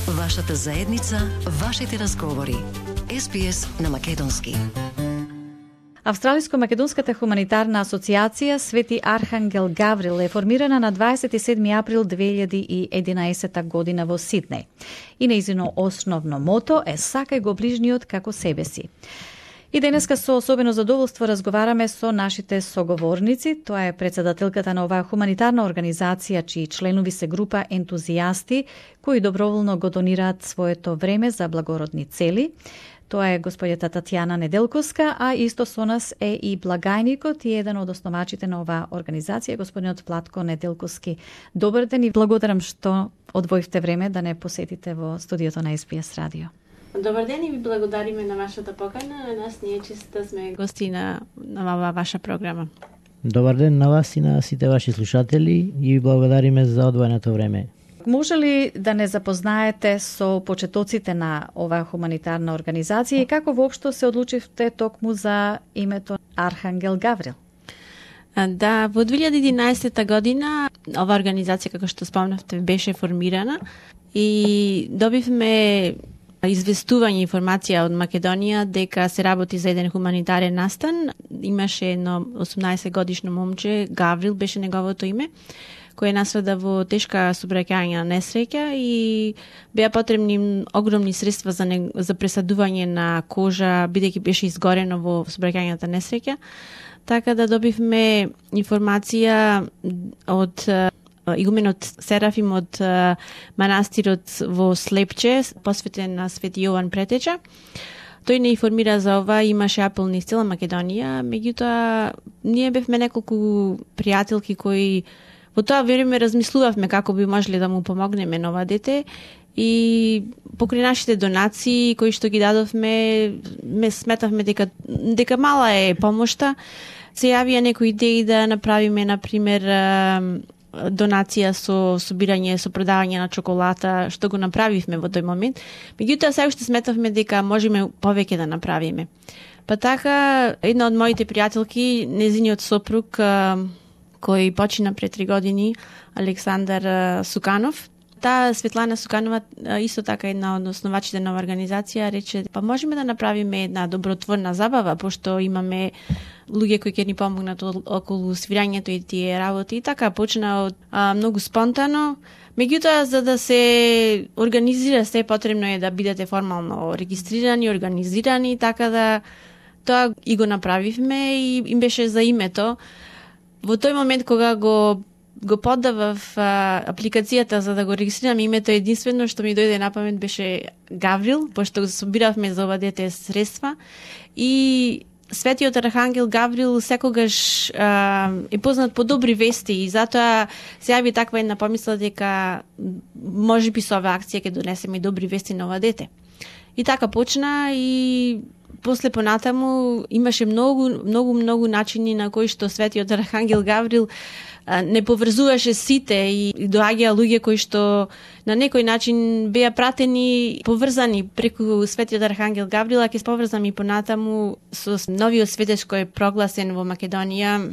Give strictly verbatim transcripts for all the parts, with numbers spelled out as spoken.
Вашата заедница, вашите разговори. Ес Би Ес на македонски. Австралиско-македонската хуманитарна асоциација Свети Архангел Гаврил е формирана на дваесет и седми април две илјади и единаесетта година во Сиднеј. И нејзино основно мото е сакај го ближниот како себе си. И денеска со особено задоволство разговараме со нашите соговорници. Тоа е председателката на оваа хуманитарна организација, чии членови се група ентузијасти кои доброволно го донираат своето време за благородни цели. Тоа е господјата Татјана Неделковска, а исто со нас е и благајникот и еден од основачите на оваа организација, господинот Владко Неделковски. Добар ден и благодарам што одвоивте време да не посетите во студиото на Ес Би Ес радио. Добар ден и ви благодариме на вашата покана. На нас ние често сме гости на, на оваа ваша програма. Добар ден на вас и на сите ваши слушатели и ви благодариме за одвоеното време. Може ли да не запознаете со почетоците на оваа хуманитарна организација и како воопшто се одлучивте токму за името Архангел Гаврил? Да, во две илјади и единаесетта година оваа организација, како што спомнавте, беше формирана и добивме известување информација од Македонија дека се работи за еден хуманитарен настан. Имаше едно осумнаесет годишно момче, Гаврил беше неговото име, кој настрада во тешка сообраќајна несреќа и беа потребни огромни средства за не, за пресадување на кожа, бидејќи беше изгорено во сообраќајната несреќа. Така да добивме информација од игуменот Серафим од манастирот во Слепче, посветен на Свети Јован Претеча. Тој не информира за ова, имаше апел низ цела Македонија, меѓутоа ние бевме неколку пријателки кои во тоа време размислувавме како би можеле да му помогнеме на ова дете и покрај нашите донации кои што ги дадовме, ме сметавме дека дека мала е помошта. Се јавија некои идеи да направиме, например, донација со собирање, со продавање на чоколата, што го направивме во тој момент. Меѓутоа, сега уште сметавме дека можеме повеќе да направиме. Па така, една од моите пријателки, незиниот сопруг, кој почина пред три години, Александар Суканов, таа Светлана Суканова, исто така една од основачите на организација, рече, па можеме да направиме една добротворна забава, пошто имаме луѓе кои ќе ни помогнат околу свирањето и тие работи. И така почна од, а, многу спонтано. Меѓутоа, за да се организира се, потребно е да бидете формално регистрирани, организирани, така да тоа и го направивме и им беше за името. Во тој момент кога го го подавав а, апликацијата за да го регистрирам името, единствено што ми дојде на памет беше Гаврил, пошто го собиравме за ова дете средства и Светиот Архангел Гаврил секогаш а, е познат по добри вести и затоа се јави таква една помисла дека можеби со оваа акција ќе донесеме и добри вести на ова дете. И така почна и после понатаму имаше многу, многу, многу начини на кои што Светиот Архангел Гаврил а, не поврзуваше сите и доаѓаа луѓе кои што на некој начин беа пратени, поврзани преку Светиот Архангел Гаврил, а ќе поврзам и понатаму со новиот светец кој е прогласен во Македонија,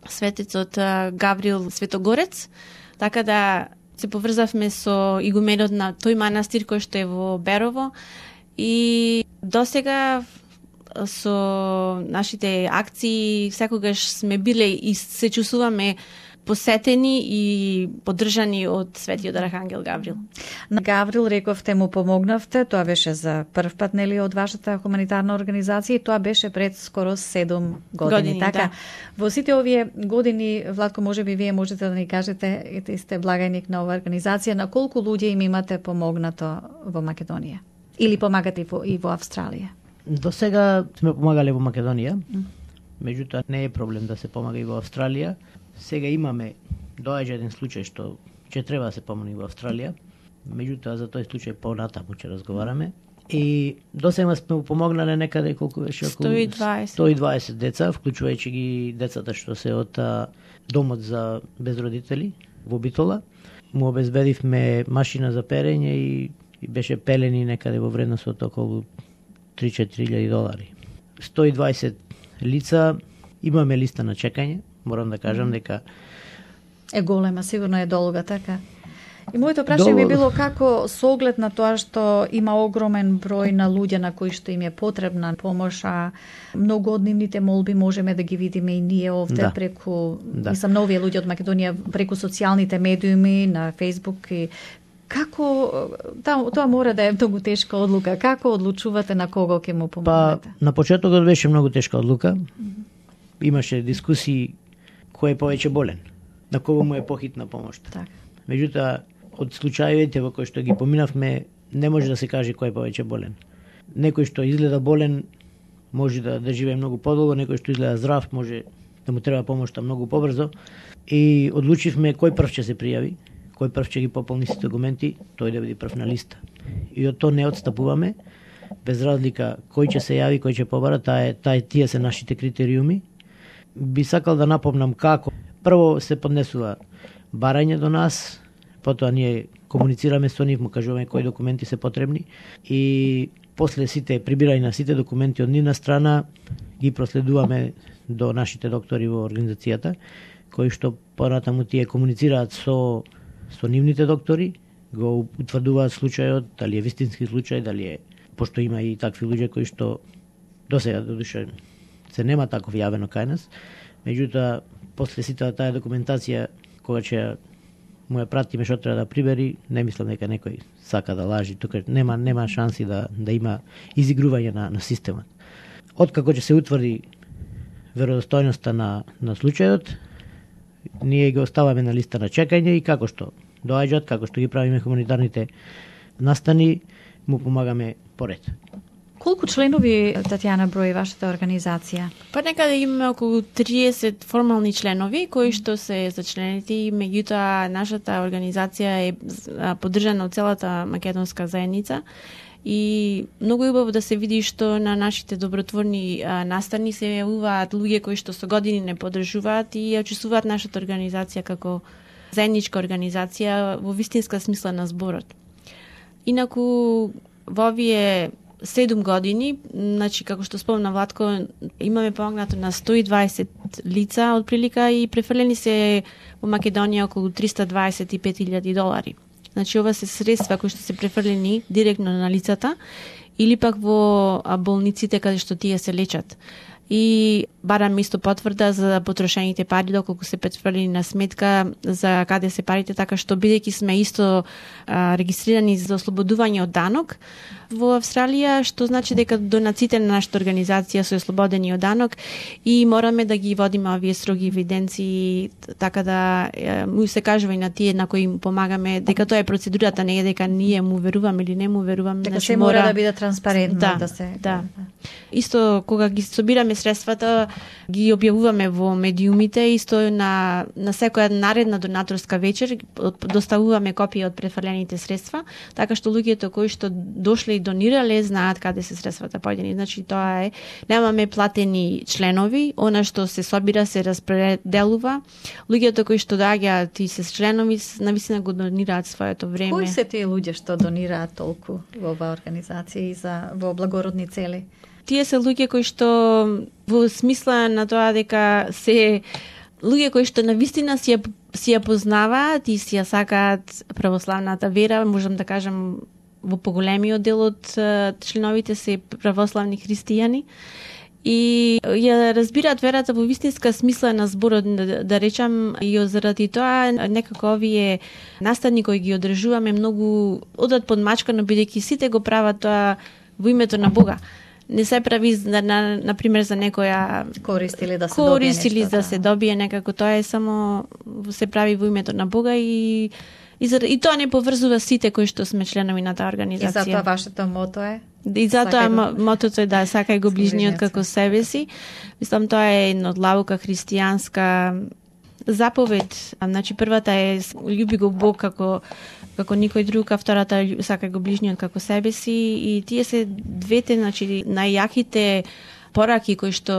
светецот Гаврил Светогорец. Така да се поврзавме со игуменот на тој манастир кој што е во Берово и досега со нашите акции секогаш сме биле и се чувствуваме посетени и поддржани од Светиот Архангел Гаврил. На Гаврил рековте му помогнавте, тоа беше за прв пат, нели, од вашата хуманитарна организација и тоа беше пред скоро седум години. години така, да. Во сите овие години, Владко, можеби вие можете да ни кажете, ете сте благајник на оваа организација, на колку луѓе им имате помогнато во Македонија? Или помагате и во, и во Австралија? До сега сме помагале во Македонија, меѓутоа не е проблем да се помага и во Австралија. Сега имаме доаѓа еден случај што ќе треба да се помогне во Австралија, меѓутоа за тој случај понатаму ќе разговараме. И до сега сме помогнале некаде колку беше околу сто и дваесет сто и дваесет деца, вклучувајќи ги децата што се од а, домот за безродители во Битола. Му обезбедивме машина за перење и, и беше пелени некаде во вредност од околу три-четири илјади долари. сто и дваесет лица, имаме листа на чекање, морам да кажам дека е голема, сигурно е долга, така. И моето прашање би Доволно. било како со оглед на тоа што има огромен број на луѓе на кои што им е потребна помош, а многу од нивните молби можеме да ги видиме и ние овде Да. преку, Да. мислам, на овие луѓе од Македонија преку социјалните медиуми, на Facebook и како та, тоа мора да е многу тешка одлука. Како одлучувате на кого ќе му Па, помогнете? на почетокот беше многу тешка одлука. Имаше дискусии кој е повеќе болен, на кого му е похитна помошта. Така. Меѓутоа, од случаевите во кои што ги поминавме, не може да се каже кој е повеќе болен. Некој што изгледа болен може да, да живее многу подолго, некој што изгледа здрав може да му треба помошта многу побрзо. И одлучивме кој прв ќе се пријави, кој прв ќе ги пополни сите документи, тој да биде прв на листа. И од тоа не отстапуваме, без разлика кој ќе се јави, кој ќе побара, таа е, таа е, тие се нашите критериуми. Би сакал да напомнам како. Прво се поднесува барање до нас, потоа ние комуницираме со нив, му кажуваме кои документи се потребни и после сите прибирање на сите документи од нивна страна ги проследуваме до нашите доктори во организацијата, кои што понатаму тие комуницираат со со нивните доктори, го утврдуваат случајот, дали е вистински случај, дали е, пошто има и такви луѓе кои што досега додуше се нема таков јавено кај нас, меѓутоа после сите таа документација кога ќе му ја пратиме што треба да прибери, не мислам дека некој сака да лажи, тука нема нема шанси да да има изигрување на на системот. Откако ќе се утврди веродостојноста на на случајот, ние ги оставаме на листа на чекање и како што доаѓаат, како што ги правиме хуманитарните настани, му помагаме поред. Колку членови, Татјана, брои вашата организација? Па некаде имаме околу триесет формални членови кои што се зачленети, меѓутоа нашата организација е а, поддржана од целата македонска заедница и многу е убаво да се види што на нашите добротворни а, настани се јавуваат луѓе кои што со години не поддржуваат и ја чувствуваат нашата организација како заедничка организација во вистинска смисла на зборот. Инаку во овие седум години, значи како што спомна Владко, имаме помогнато на сто и дваесет лица од прилика и префрлени се во Македонија околу триста дваесет и пет илјади долари. Значи ова се средства кои што се префрлени директно на лицата или пак во болниците каде што тие се лечат. И барам исто потврда за потрошените пари доколку се префрлени на сметка за каде се парите, така што бидејќи сме исто а, регистрирани за ослободување од данок во Австралија, што значи дека донациите на нашата организација се ослободени од данок и мораме да ги водиме овие строги евиденции, така да е, му се кажува и на тие на кои им помагаме дека тоа е процедурата, не е дека ние му веруваме или не му веруваме. Дека значи, се мора да биде транспарентно, да, да се... Да. Исто кога ги собираме средствата, ги објавуваме во медиумите, исто на на секоја наредна донаторска вечер доставуваме копија од префрлените средства, така што луѓето кои што дошле и донирале знаат каде се средствата појдени. Значи тоа е, немаме платени членови, она што се собира се распределува. Луѓето кои што доаѓаат и се членови навистина го донираат своето време. Кои се тие луѓе што донираат толку во оваа организација и за во благородни цели? Тие се луѓе кои што во смисла на тоа дека се луѓе кои што навистина си ја, си ја познаваат и си ја сакаат православната вера, можам да кажам во поголемиот дел од членовите се православни христијани и ја разбираат верата во вистинска смисла на зборот, да, да речам, и заради тоа некако овие настани кои ги одржуваме многу одат подмачкано, бидејќи сите го прават тоа во името на Бога. Не се прави на, на, на пример за некоја корист или да се корист добие или нешто, да се добие некако, тоа е само се прави во името на Бога и и, за, и тоа не поврзува сите кои што сме членови на таа организација. И затоа вашето мото е? И затоа Сакај го... мотото е да сакај го ближниот како себе си. Мислам тоа е една одлаука христијанска заповед. Значи првата е љуби го Бог како како никој друг, а втората сакај го ближниот како себе си и тие се двете, значи најјаките пораки кои што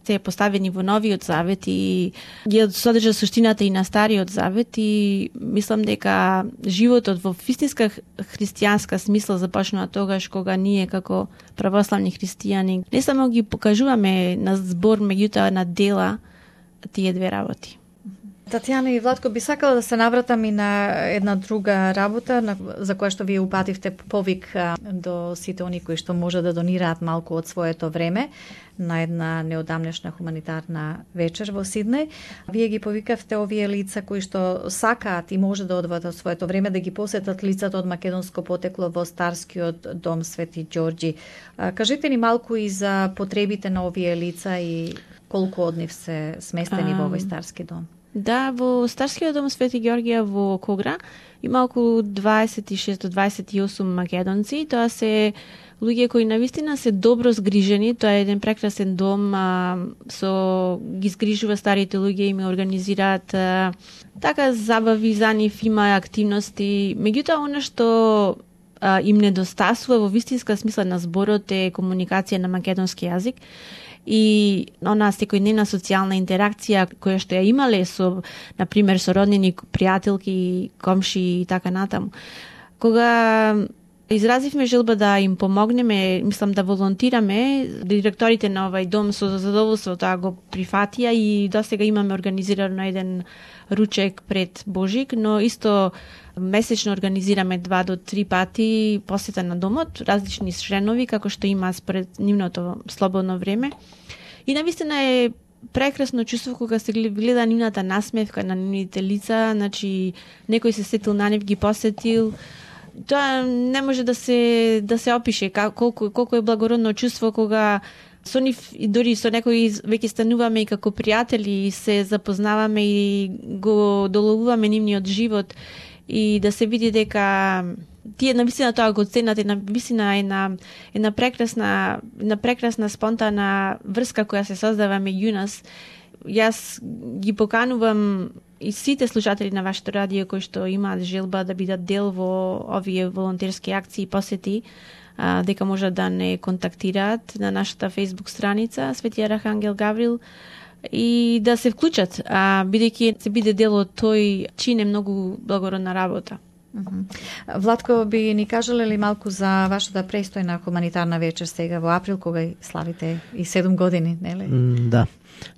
се поставени во Новиот Завет и ги содржа суштината и на Стариот Завет и мислам дека животот во вистинска христијанска смисла започнува тогаш кога ние како православни христијани не само ги покажуваме на збор, меѓутоа на дела тие две работи. Татјана и Владко, би сакала да се навратам и на една друга работа на, за која што вие упативте повик а, до сите они кои што може да донираат малку од своето време на една неодамнешна хуманитарна вечер во Сиднеј. Вие ги повикавте овие лица кои што сакаат и може да одвоат од своето време да ги посетат лицата од македонско потекло во Старскиот дом Свети Ѓорѓи. А, кажете ни малку и за потребите на овие лица и колку од нив се сместени во овој Старски дом. Да, во Старскиот дом Свети Ѓорѓија во Когра има околу дваесет и шест до дваесет и осум македонци. Тоа се луѓе кои навистина се добро згрижени. Тоа е еден прекрасен дом, а, со ги згрижува старите луѓе и ме организираат а, така забави за нив, има активности. Меѓутоа, она што а, им недостасува во вистинска смисла на зборот е комуникација на македонски јазик и она секојдневна социјална интеракција која што ја имале со, на пример, со роднини, пријателки, комши и така натаму. Кога изразивме желба да им помогнеме, мислам да волонтираме, директорите на овај дом со задоволство тоа го прифатија и досега имаме организирано еден ручек пред Божик, но исто месечно организираме два до три пати посета на домот, различни членови како што има според нивното слободно време. И навистина е прекрасно чувство кога се гледа нивната насмевка на нивните лица, значи некој се сетил на нив, ги посетил. Тоа не може да се да се опише колку колку е благородно чувство кога со нив и дори со некои веќе стануваме и како пријатели и се запознаваме и го доловуваме нивниот живот и да се види дека тие навистина тоа го ценат, и навистина е на една прекрасна една прекрасна спонтана врска која се создава меѓу нас. Јас ги поканувам и сите слушатели на вашето радио кои што имаат желба да бидат дел во овие волонтерски акции и посети, а, дека можат да не контактираат на нашата Facebook страница Свети Архангел Гаврил и да се вклучат, а, бидејќи се биде дел од тој чин е многу благородна работа. Uh-huh. Владко, би ни кажале ли малку за вашата престојна хуманитарна вечер сега во април, кога славите и седум години, нели? Mm, да.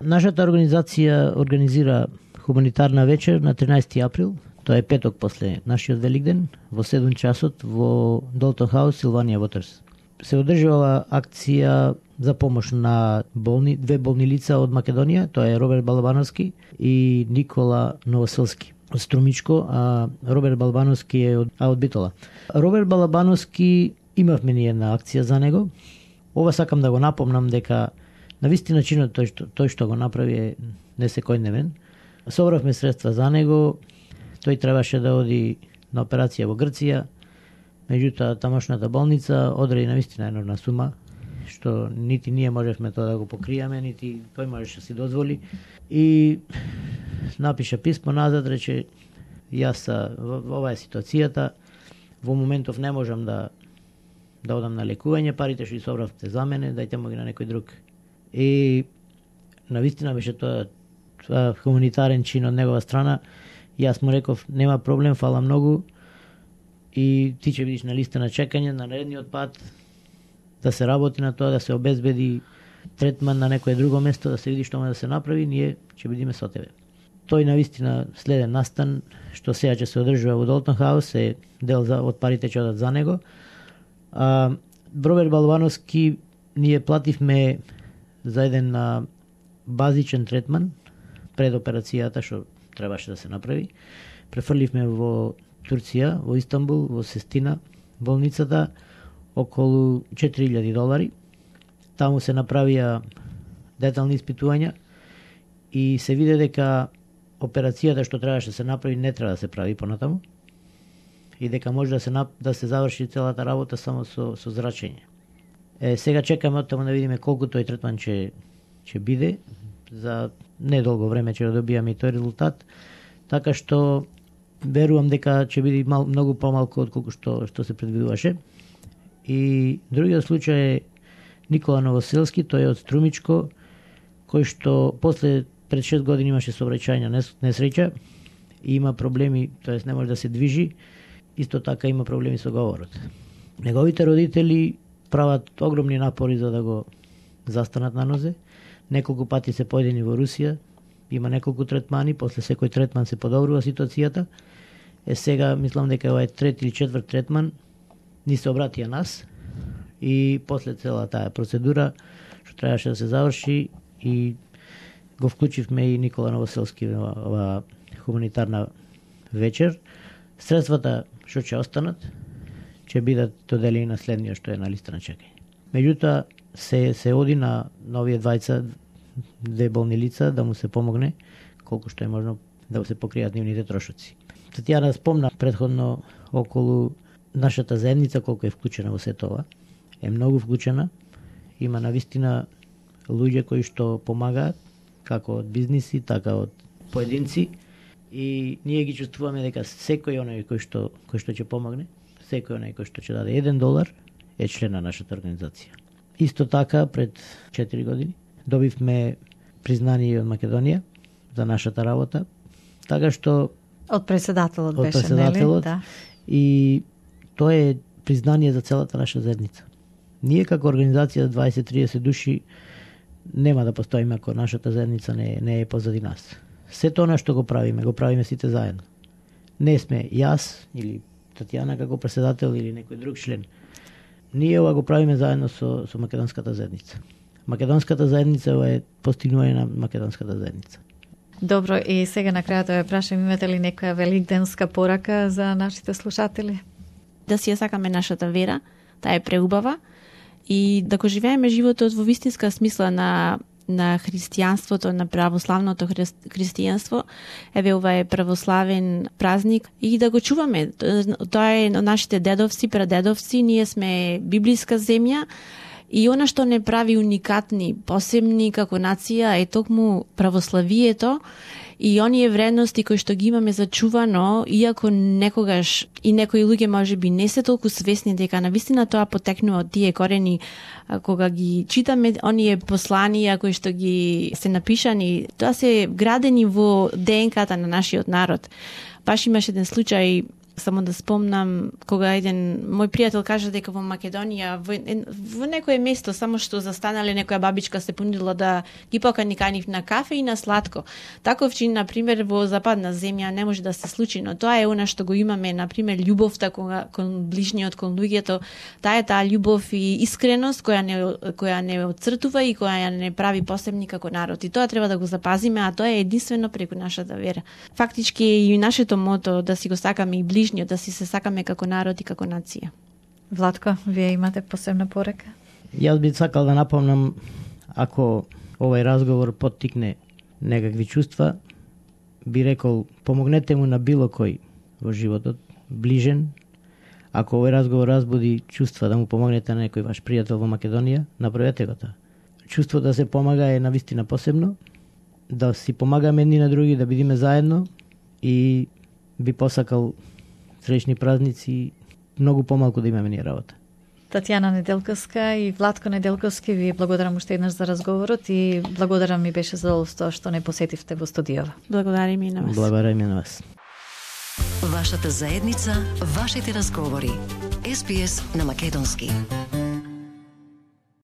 Нашата организација организира хуманитарна вечер на тринаесети април, тоа е петок после нашиот Великден, во седум часот во Долтон Хаус, Силванија Вотерс. Се одржува акција за помош на болни, две болни лица од Македонија, тоа е Роберт Балабановски и Никола Новоселски од Струмичко, а Роберт Балабановски е од, а од Битола. Роберт Балабановски имавме ние една акција за него. Ова сакам да го напомнам дека навистина чинот тој што, тој што го направи е не секојдневен. Собравме средства за него, тој требаше да оди на операција во Грција, меѓутоа тамошната болница одреди навистина енорна сума, што нити ние можевме тоа да го покриеме, нити тој можеше да си дозволи. И напиша писмо назад, рече, јас ова е ситуацијата, во моментов не можам да да одам на лекување, парите што ги собравте за мене, дајте му ги на некој друг. И навистина беше тоа, тоа хуманитарен чин од негова страна. Јас му реков, нема проблем, фала многу, и ти ќе бидиш на листа на чекање на наредниот пат, да се работи на тоа, да се обезбеди третман на некое друго место, да се види што може да се направи, ние ќе бидиме со тебе. Тој навистина следен настан, што сега ќе се одржува во Долтон Хаус, е дел за, од парите ќе одат за него. А, Роберт Балабановски ние плативме за еден а, базичен третман пред операцијата што требаше да се направи. Префрливме во Турција, во Истанбул, во Сестина, болницата, околу четири илјади долари. Таму се направија детални испитувања и се виде дека операцијата што требаше да се направи не треба да се прави понатаму и дека може да се да се заврши целата работа само со со зрачење. Е, сега чекаме од таму да видиме колку тој третман ќе ќе биде, за недолго време ќе да добијаме и тој резултат, така што верувам дека ќе биде мал, многу помалку од колку што што се предвидуваше. И другиот случај е Никола Новоселски, тој е од Струмичко, кој што после пред шест години имаше сообраќајна несреќа и има проблеми, тоест не може да се движи, исто така има проблеми со говорот. Неговите родители прават огромни напори за да го застанат на нозе. Неколку пати се појдени во Русија, има неколку третмани, после секој третман се подобрува ситуацијата. Е сега мислам дека ова е трет или четврт третман, ни се обратија нас и после цела таа процедура што требаше да се заврши и го вклучивме и Никола Новоселски во ова хуманитарна вечер. Средствата што ќе останат ќе бидат доделени на следниот што е на листа на чекање. Меѓутоа се се оди на новие двајца две болни лица да му се помогне колку што е можно да се покријат нивните трошоци. Татјана спомна претходно околу нашата заедница колку е вклучена во сето ова. Е многу вклучена. Има навистина луѓе кои што помагаат како од бизниси, така од поединци и ние ги чувствуваме дека секој оној кој што кој што ќе помогне, секој оној кој што ќе даде еден долар е член на нашата организација. Исто така пред четири години добивме признание од Македонија за нашата работа, така што од председателот од беше, председателот, нели? Да. И тоа е признание за целата наша заедница. Ние како организација дваесет до триесет души нема да постоиме ако нашата заедница не, не е позади нас. Сето она што го правиме, го правиме сите заедно. Не сме јас или Татјана како председател или некој друг член. Ние ова го правиме заедно со, со македонската заедница. Македонската заедница е постигнување на македонската заедница. Добро, и сега на крајот да ве прашам, имате ли некоја великденска порака за нашите слушатели? Да си ја сакаме нашата вера, таа е преубава, и да го живееме животот во вистинска смисла на на христијанството, на православното христијанство. Еве ова е православен празник и да го чуваме. Тоа е нашите дедовци, прадедовци, ние сме библиска земја и она што не прави уникатни, посебни како нација е токму православието и оние вредности кои што ги имаме зачувано, иако некогаш и некои луѓе можеби не се толку свесни дека навистина тоа потекнува од тие корени, кога ги читаме оние посланија кои што ги се напишани, тоа се градени во ДНК-та на нашиот народ. Баш имаше еден случај, само да спомнам, кога еден мој пријател кажа дека во Македонија во, во некое место само што застанале некоја бабичка се понудила да ги покани канив на кафе и на сладко. Таков чин на пример во западна земја не може да се случи, но тоа е она што го имаме, на пример љубовта кон, кон ближниот, кон луѓето. Таа е таа љубов и искреност која не која не отцртува и која не прави посебни како народ. И тоа треба да го запазиме, а тоа е единствено преку нашата вера. Фактички е и нашето мото да си го сакаме и ближниот, да си се сакаме како народ и како нација. Владко, вие имате посебна порака? Јас би сакал да напомнам, ако овој разговор поттикне некакви чувства, би рекол, помогнете му на било кој во животот, ближен. Ако овој разговор разбуди чувства да му помогнете на некој ваш пријател во Македонија, направете го тоа. Чувство да се помага е навистина посебно, да си помагаме едни на други, да бидиме заедно и би посакал среќни празници, многу помалку да имаме ние работа. Татјана Неделковска и Владко Неделковски, ви благодарам уште еднаш за разговорот и благодарам, ми беше задоволство што не посетивте во студијава. Благодарим и на вас. Благодарим и на вас. Вашата заедница, вашите разговори. Ес Би Ес на македонски.